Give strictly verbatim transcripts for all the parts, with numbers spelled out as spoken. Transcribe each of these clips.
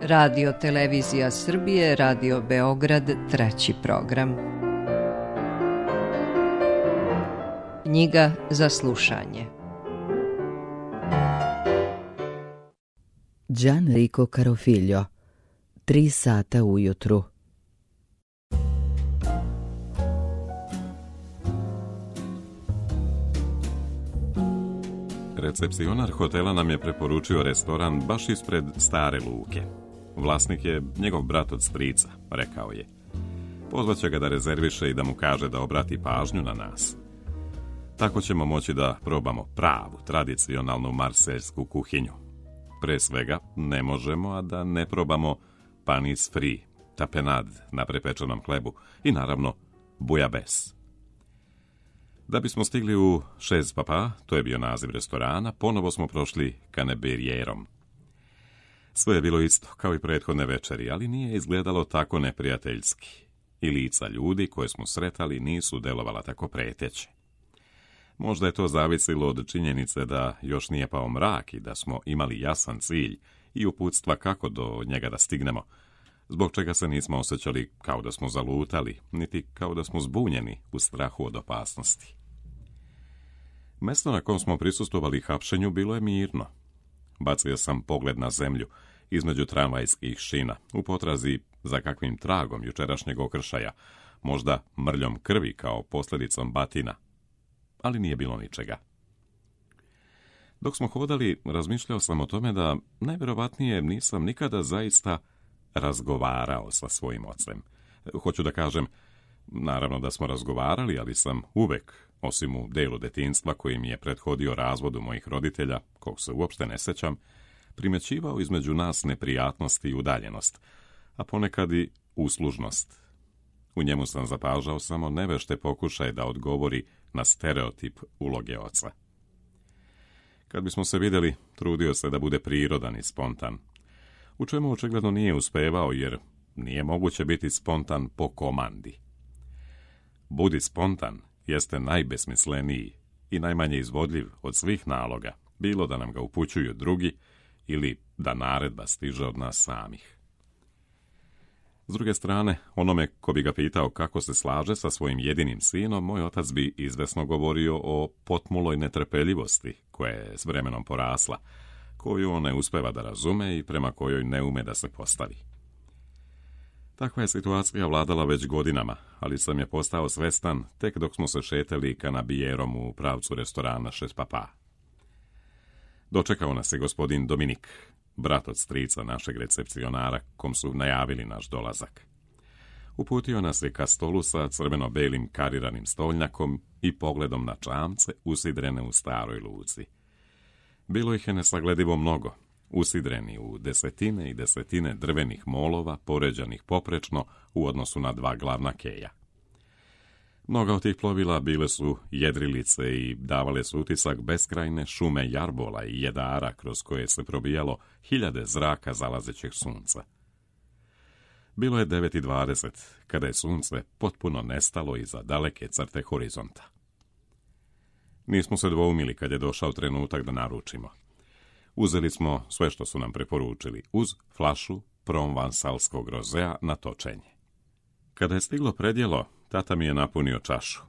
Radio Televizija Srbije, Radio Beograd, treći program. Knjiga za slušanje. Gianrico Carofiglio, Tri sata ujutru. Recepcionar hotela nam je preporučio restoran baš ispred Stare luke. Vlasnik je njegov brat od strica, rekao je. Pozvaće ga da rezerviše i da mu kaže da obrati pažnju na nas. Tako ćemo moći da probamo pravu, tradicionalnu marseljsku kuhinju. Pre svega, ne možemo, a da ne probamo panis fri, tapenad na prepečenom hlebu i naravno bujabes. Da bismo stigli u Šez Papa, to je bio naziv restorana, ponovo smo prošli Caneberijerom. Sve je bilo isto, kao i prethodne večeri, ali nije izgledalo tako neprijateljski. I lica ljudi koje smo sretali nisu delovala tako preteće. Možda je to zavisilo od činjenice da još nije pao mrak i da smo imali jasan cilj i uputstva kako do njega da stignemo, zbog čega se nismo osjećali kao da smo zalutali, niti kao da smo zbunjeni u strahu od opasnosti. Mesto na kom smo prisustvovali hapšenju bilo je mirno. Bacio sam pogled na zemlju između tramvajskih šina, u potrazi za kakvim tragom jučerašnjeg okršaja, možda mrljom krvi kao posljedicom batina, ali nije bilo ničega. Dok smo hodali, razmišljao sam o tome da najvjerovatnije nisam nikada zaista razgovarao sa svojim ocem. Hoću da kažem, naravno da smo razgovarali, ali sam uvek, osim u delu detinjstva koji mi je prethodio razvodu mojih roditelja, kog se uopšte ne sećam, primećivao između nas neprijatnost i udaljenost, a ponekad i uslužnost. U njemu sam zapažao samo nevešte pokušaj da odgovori na stereotip uloge oca. Kad bismo se vidjeli, trudio se da bude prirodan i spontan, u čemu očigledno nije uspevao, jer nije moguće biti spontan po komandi. Budi spontan jeste najbesmisleniji i najmanje izvodljiv od svih naloga, bilo da nam ga upućuju drugi ili da naredba stiže od nas samih. S druge strane, onome ko bi ga pitao kako se slaže sa svojim jedinim sinom, moj otac bi izvesno govorio o potmuloj netrpeljivosti koja je s vremenom porasla, koju on ne uspeva da razume i prema kojoj ne ume da se postavi. Takva je situacija vladala već godinama, ali sam je postao svestan tek dok smo se šetali Caneberijerom u pravcu restorana Šez Papa. Dočekao nas je gospodin Dominik, brat od strica našeg recepcionara, kom su najavili naš dolazak. Uputio nas je ka stolu sa crveno-belim kariranim stolnjakom i pogledom na čamce usidrene u staroj luci. Bilo ih je nesagledivo mnogo, usidreni u desetine i desetine drvenih molova, poređanih poprečno u odnosu na dva glavna keja. Mnoga od tih plovila bile su jedrilice i davale su utisak beskrajne šume jarbola i jedara kroz koje se probijalo hiljade zraka zalazećeg sunca. Bilo je devet i dvadeset, kada je sunce potpuno nestalo iza daleke crte horizonta. Nismo se dvoumili kad je došao trenutak da naručimo. Uzeli smo sve što su nam preporučili, uz flašu provansalskog rozea na točenje. Kada je stiglo predjelo, tata mi je napunio čašu.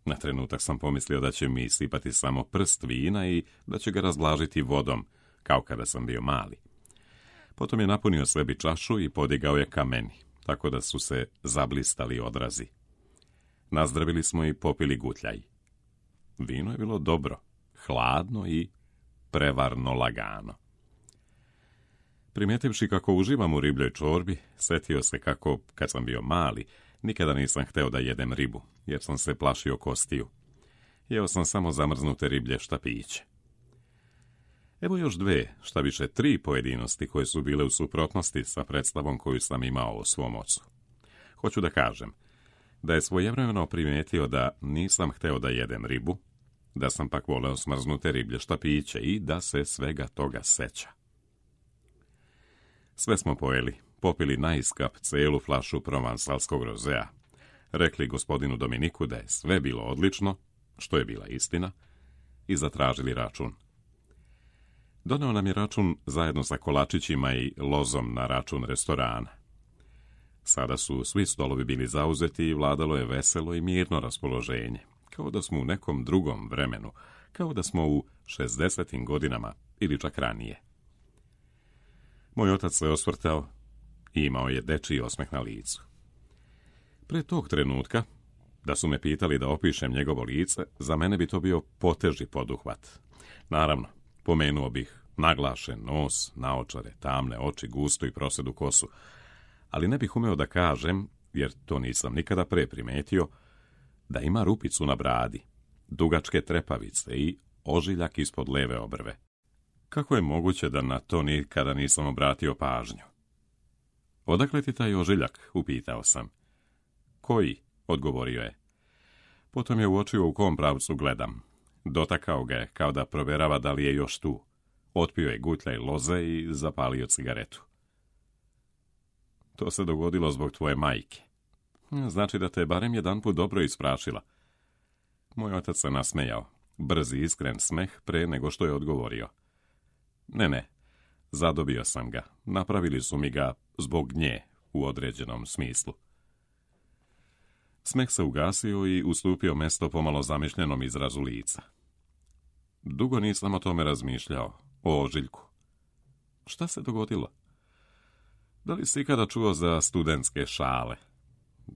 Na trenutak sam pomislio da će mi sipati samo prst vina i da će ga razblažiti vodom, kao kada sam bio mali. Potom je napunio sebi čašu i podigao je ka meni, tako da su se zablistali odrazi. Nazdravili smo i popili gutljaj. Vino je bilo dobro, hladno i prevarno lagano. Primjetivši kako uživam u ribljoj čorbi, setio se kako, kad sam bio mali, nikada nisam hteo da jedem ribu, jer sam se plašio kostiju. Jeo sam samo zamrznute riblje štapiće. Evo još dve, šta više tri pojedinosti koje su bile u suprotnosti sa predstavom koju sam imao o svom ocu. Hoću da kažem da je svojevremeno primijetio da nisam hteo da jedem ribu, da sam pak voleo smrznute riblje štapiće i da se svega toga seća. Sve smo pojeli, popili naiskap celu flašu provansalskog rozea, rekli gospodinu Dominiku da je sve bilo odlično, što je bila istina, i zatražili račun. Doneo nam je račun zajedno sa kolačićima i lozom na račun restorana. Sada su svi stolovi bili zauzeti i vladalo je veselo i mirno raspoloženje, kao da smo u nekom drugom vremenu, kao da smo u šezdesetim godinama ili čak ranije. Moj otac se osvrtao i imao je dečiji osmeh na licu. Pre tog trenutka, da su me pitali da opišem njegovo lice, za mene bi to bio poteži poduhvat. Naravno, pomenuo bih naglašen nos, naočare, tamne oči, gustu i prosedu kosu, ali ne bih umeo da kažem, jer to nisam nikada pre primetio, da ima rupicu na bradi, dugačke trepavice i ožiljak ispod leve obrve. Kako je moguće da na to nikada nisam obratio pažnju? Odakle ti taj ožiljak, upitao sam. Koji, odgovorio je. Potom je uočio u kom pravcu gledam. Dotakao ga je kao da proverava da li je još tu. Otpio je gutljaj loze i zapalio cigaretu. To se dogodilo zbog tvoje majke. Znači da te je barem jedanput dobro isprašila. Moj otac se nasmejao. Brzi, iskren smeh pre nego što je odgovorio. Ne, ne, zadobio sam ga. Napravili su mi ga zbog nje u određenom smislu. Smeh se ugasio i ustupio mesto pomalo zamišljenom izrazu lica. Dugo nisam o tome razmišljao, o ožiljku. Šta se dogodilo? Da li si ikada čuo za studentske šale?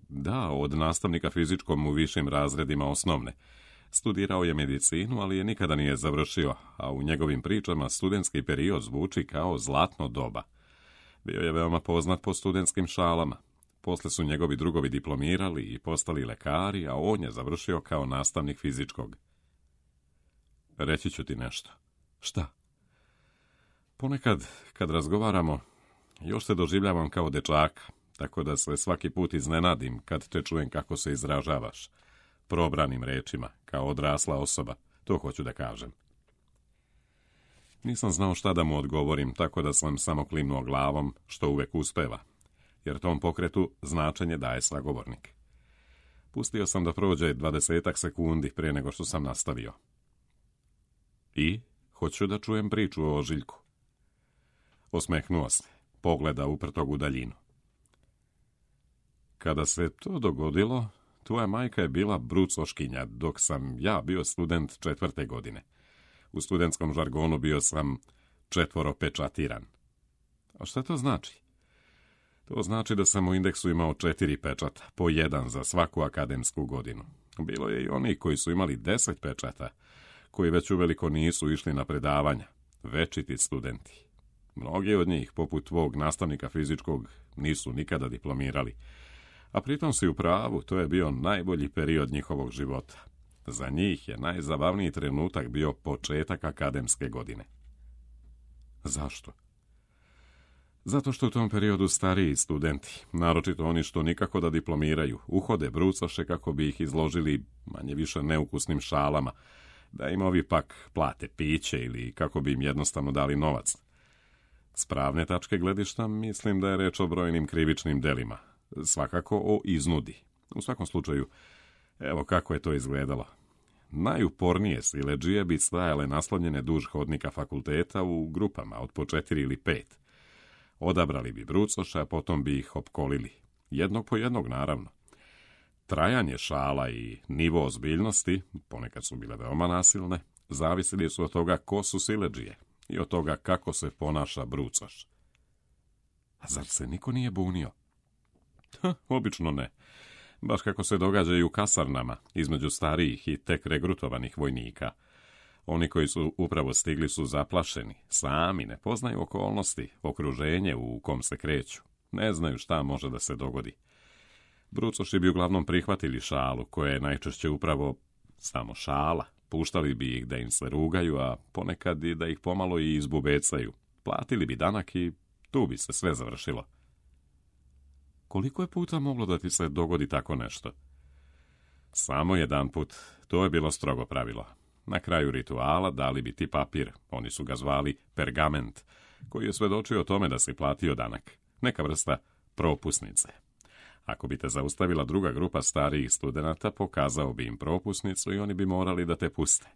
Da, od nastavnika fizičkom u višim razredima osnovne. Studirao je medicinu, ali je nikada nije završio, a u njegovim pričama studentski period zvuči kao zlatno doba. Bio je veoma poznat po studentskim šalama. Posle su njegovi drugovi diplomirali i postali lekari, a on je završio kao nastavnik fizičkog. Reći ću ti nešto. Šta? Ponekad, kad razgovaramo, još se doživljavam kao dečaka, tako da se svaki put iznenadim kad te čujem kako se izražavaš. Probranim rečima, kao odrasla osoba, to hoću da kažem. Nisam znao šta da mu odgovorim, tako da sam samo klimnuo glavom, što uvek uspeva, jer tom pokretu značenje daje sagovornik. Pustio sam da prođe dvadesetak sekundi prije nego što sam nastavio. I hoću da čujem priču o ožiljku. Osmehnuo se, pogleda uprtog u daljinu. Kada se to dogodilo, tvoja majka je bila brucoškinja, dok sam ja bio student četvrte godine. U studentskom žargonu bio sam četvoropečatiran. A šta to znači? To znači da sam u indeksu imao četiri pečata, po jedan za svaku akademsku godinu. Bilo je i oni koji su imali deset pečata, koji već uveliko nisu išli na predavanja, večiti studenti. Mnogi od njih, poput tvog nastavnika fizičkog, nisu nikada diplomirali. A pritom si u pravu, to je bio najbolji period njihovog života. Za njih je najzabavniji trenutak bio početak akademske godine. Zašto? Zato što u tom periodu stariji studenti, naročito oni što nikako da diplomiraju, uhode brucoše kako bi ih izložili manje više neukusnim šalama, da im ovi pak plate piće ili kako bi im jednostavno dali novac. S pravne tačke gledišta mislim da je reč o brojnim krivičnim delima, svakako o iznudi. U svakom slučaju, evo kako je to izgledalo. Najupornije siledžije bi stajale naslonjene duž hodnika fakulteta u grupama od po četiri ili pet. Odabrali bi brucoša, a potom bi ih opkolili. Jednog po jednog, naravno. Trajanje šala i nivo ozbiljnosti, ponekad su bile veoma nasilne, zavisili su od toga ko su siledžije i od toga kako se ponaša brucoš. A zar se niko nije bunio? Ha, obično ne. Baš kako se događa i u kasarnama, između starijih i tek regrutovanih vojnika. Oni koji su upravo stigli su zaplašeni, sami ne poznaju okolnosti, okruženje u kom se kreću. Ne znaju šta može da se dogodi. Brucoši bi uglavnom prihvatili šalu, koja je najčešće upravo samo šala. Puštali bi ih da im se rugaju, a ponekad i da ih pomalo i izbubecaju. Platili bi danak i tu bi se sve završilo. Koliko je puta moglo da ti se dogodi tako nešto? Samo jedan put, to je bilo strogo pravilo. Na kraju rituala dali bi ti papir, oni su ga zvali pergament, koji je svedočio o tome da si platio danak, neka vrsta propusnice. Ako bi te zaustavila druga grupa starijih studenata, pokazao bi im propusnicu i oni bi morali da te puste.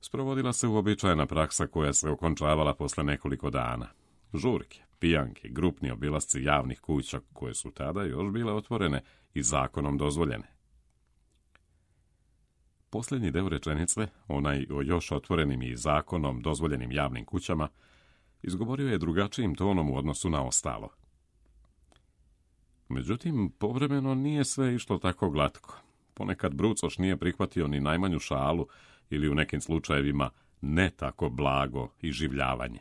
Sprovodila se uobičajena praksa koja se okončavala posle nekoliko dana. Žurke, pijanke, grupni obilasci javnih kuća koje su tada još bile otvorene i zakonom dozvoljene. Posljednji deo rečenice, onaj o još otvorenim i zakonom dozvoljenim javnim kućama, izgovorio je drugačijim tonom u odnosu na ostalo. Međutim, povremeno nije sve išlo tako glatko. Ponekad brucoš nije prihvatio ni najmanju šalu ili u nekim slučajevima ne tako blago iživljavanje.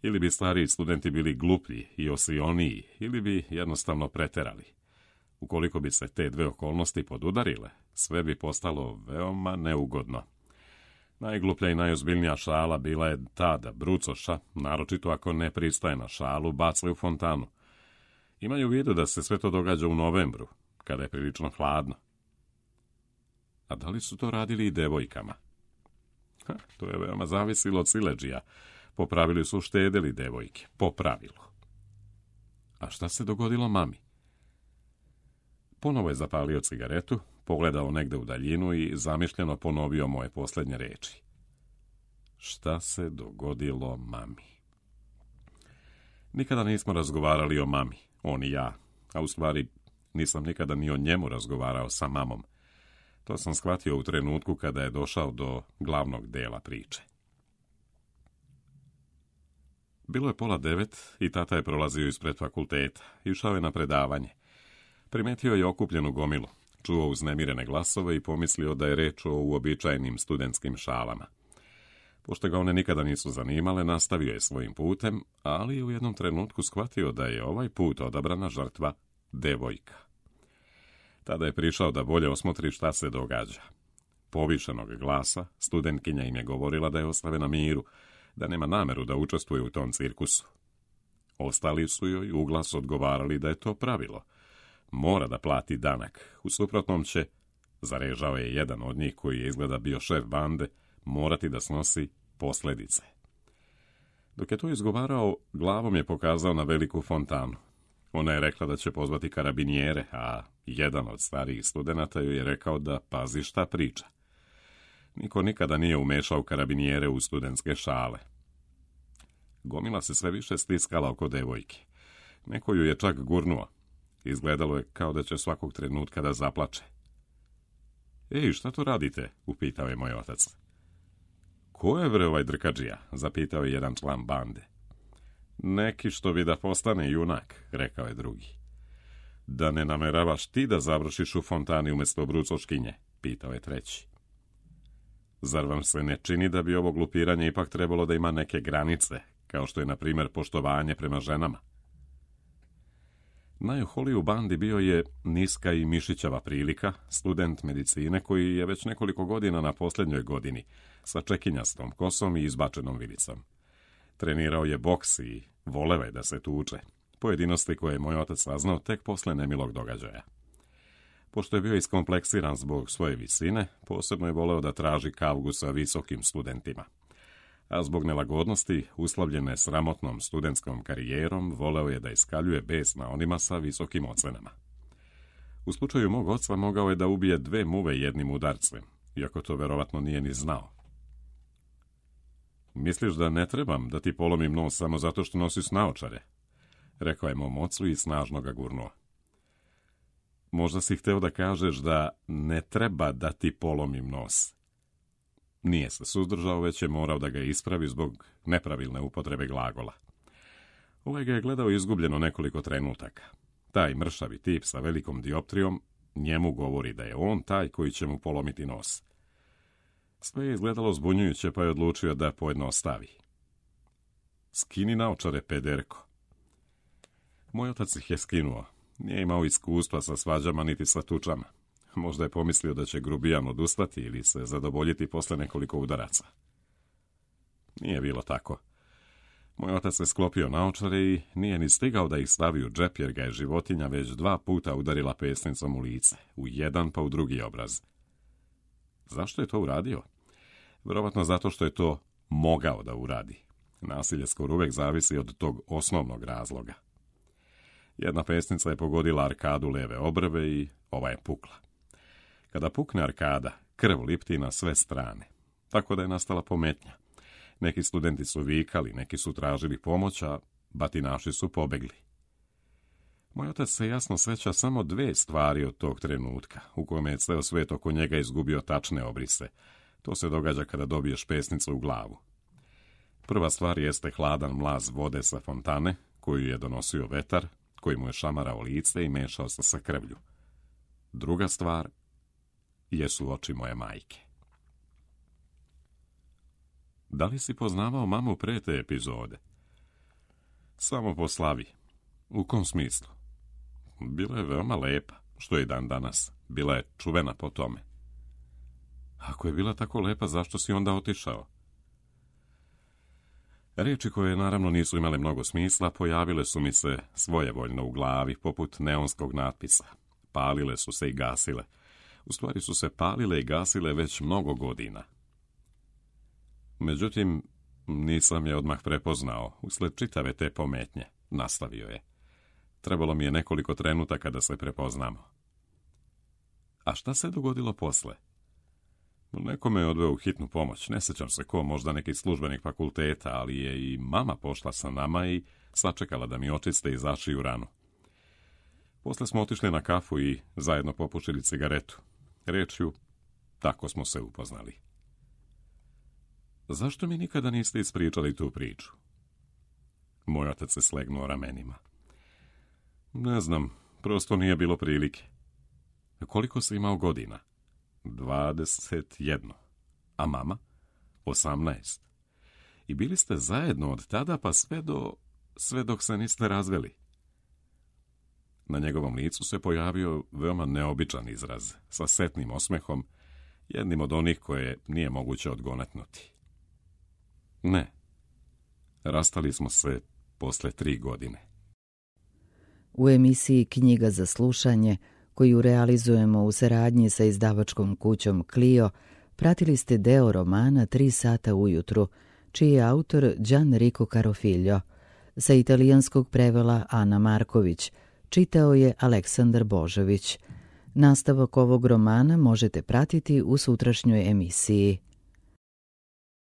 Ili bi stariji studenti bili gluplji i osioniji, ili bi jednostavno preterali. Ukoliko bi se te dve okolnosti podudarile, sve bi postalo veoma neugodno. Najgluplja i najozbiljnija šala bila je ta da brucoša, naročito ako ne pristaje na šalu, bacaju u fontanu. Imaju u vidu da se sve to događa u novembru, kada je prilično hladno. A da li su to radili i devojkama? Ha, to je veoma zavisilo od siledžija. Po pravilu su štedeli devojke, po pravilu. A šta se dogodilo mami? Ponovo je zapalio cigaretu, pogledao negde u daljinu i zamišljeno ponovio moje posljednje reči. Šta se dogodilo mami? Nikada nismo razgovarali o mami, on i ja, a u stvari nisam nikada ni o njemu razgovarao sa mamom. To sam shvatio u trenutku kada je došao do glavnog dela priče. Bilo je pola devet i tata je prolazio ispred fakulteta, išao je na predavanje. Primetio je okupljenu gomilu, čuo uznemirene glasove i pomislio da je reč o uobičajenim studentskim šalama. Pošto ga one nikada nisu zanimale, nastavio je svojim putem, ali u jednom trenutku shvatio da je ovaj put odabrana žrtva devojka. Tada je prišao da bolje osmotri šta se događa. Povišenog glasa, studentkinja im je govorila da je ostave na miru, da nema nameru da učestvuje u tom cirkusu. Ostali su joj u glas odgovarali da je to pravilo. Mora da plati danak, u suprotnom će, zarežao je jedan od njih koji je izgleda bio šef bande, morati da snosi posljedice. Dok je to izgovarao, glavom je pokazao na veliku fontanu. Ona je rekla da će pozvati karabinjere, a jedan od starijih studenata joj je rekao da pazi šta priča. Niko nikada nije umešao karabinjere u studentske šale. Gomila se sve više stiskala oko devojke. Neko ju je čak gurnuo. Izgledalo je kao da će svakog trenutka da zaplače. Ej, šta to radite? Upitao je moj otac. Ko je bre ovaj drkađija? Zapitao je jedan član bande. Neki što bi da postane junak, rekao je drugi. Da ne nameravaš ti da završiš u fontani umjesto brucoškinje, pitao je treći. Zar vam se ne čini da bi ovo glupiranje ipak trebalo da ima neke granice, kao što je, na primjer, poštovanje prema ženama? Najoholiji u bandi bio je niska i mišićava prilika, student medicine koji je već nekoliko godina na posljednjoj godini, sa čekinjastom kosom i izbačenom vidicom. Trenirao je boks i voleo je da se tuče, pojedinosti koje je moj otac saznao tek posle nemilog događaja. Pošto je bio iskompleksiran zbog svoje visine, posebno je voleo da traži kavgu sa visokim studentima. A zbog nelagodnosti, uslovljene sramotnom studentskom karijerom, voleo je da iskaljuje bes na onima sa visokim ocenama. U slučaju mog oca mogao je da ubije dve muve jednim udarcem, iako to verovatno nije ni znao. Misliš da ne trebam da ti polomim nos samo zato što nosiš naočare? Rekao je mom ocu i snažno ga gurnuo. Možda si hteo da kažeš da ne treba da ti polomim nos. Nije se suzdržao, već je morao da ga ispravi zbog nepravilne upotrebe glagola. Ovaj ga je gledao izgubljeno nekoliko trenutaka. Taj mršavi tip sa velikom dioptrijom njemu govori da je on taj koji će mu polomiti nos. Sve je izgledalo zbunjujuće, pa je odlučio da pojednostavi. Skini naočare, pederko. Moj otac ih je skinuo. Nije imao iskustva sa svađama niti sa tučama. Možda je pomislio da će grubijan odustati ili se zadovoljiti posle nekoliko udaraca. Nije bilo tako. Moj otac se sklopio naočare i nije ni stigao da ih stavi u džep, jer ga je životinja već dva puta udarila pesnicom u lice, u jedan pa u drugi obraz. Zašto je to uradio? Vjerovatno zato što je to mogao da uradi. Nasilje skoro uvek zavisi od tog osnovnog razloga. Jedna pesnica je pogodila arkadu leve obrve i ova je pukla. Kada pukne arkada, krv lipti na sve strane. tako da je nastala pometnja. Neki studenti su vikali, neki su tražili pomoć, a batinaši su pobegli. Moj otac se jasno seća samo dve stvari od tog trenutka, u kome je ceo svet oko njega izgubio tačne obrise. To se događa kada dobiješ pesnicu u glavu. Prva stvar jeste hladan mlaz vode sa fontane, koju je donosio vetar, koji mu je šamarao lice i mešao se sa krvlju. Druga stvar jesu oči moje majke. Da li si poznavao mamu pre te epizode? Samo po slavi. U kom smislu? Bila je veoma lepa, što je dan danas. Bila je čuvena po tome. Ako je bila tako lepa, zašto si onda otišao? Riječi koje naravno nisu imale mnogo smisla pojavile su mi se svojevoljno u glavi, poput neonskog natpisa. Palile su se i gasile. U stvari su se palile i gasile već mnogo godina. Međutim, nisam je odmah prepoznao, usled čitave te pometnje, nastavio je. Trebalo mi je nekoliko trenutaka da se prepoznamo. A šta se dogodilo posle? Neko me je odveo u hitnu pomoć, ne sjećam se ko, možda neki službenik fakulteta, ali je i mama pošla sa nama i sačekala da mi očiste i zašiju ranu. Posle smo otišli na kafu i zajedno popušili cigaretu. Rečju, tako smo se upoznali. Zašto mi nikada niste ispričali tu priču? Moj otac se slegnuo ramenima. Ne znam, prosto nije bilo prilike. Koliko si imao godina? Dvadeset jedno. A mama? Osamnaest. I bili ste zajedno od tada pa sve do... sve dok se niste razveli. Na njegovom licu se pojavio veoma neobičan izraz, sa setnim osmehom, jednim od onih koje nije moguće odgonetnuti. Ne. Rastali smo se posle tri godine. U emisiji Knjiga za slušanje, koju realizujemo u saradnji sa izdavačkom kućom Clio, pratili ste deo romana Tri sata ujutru, čiji je autor Gianrico Carofiglio. Sa italijanskog prevela Ana Marković, čitao je Aleksandar Božović. Nastavak ovog romana možete pratiti u sutrašnjoj emisiji.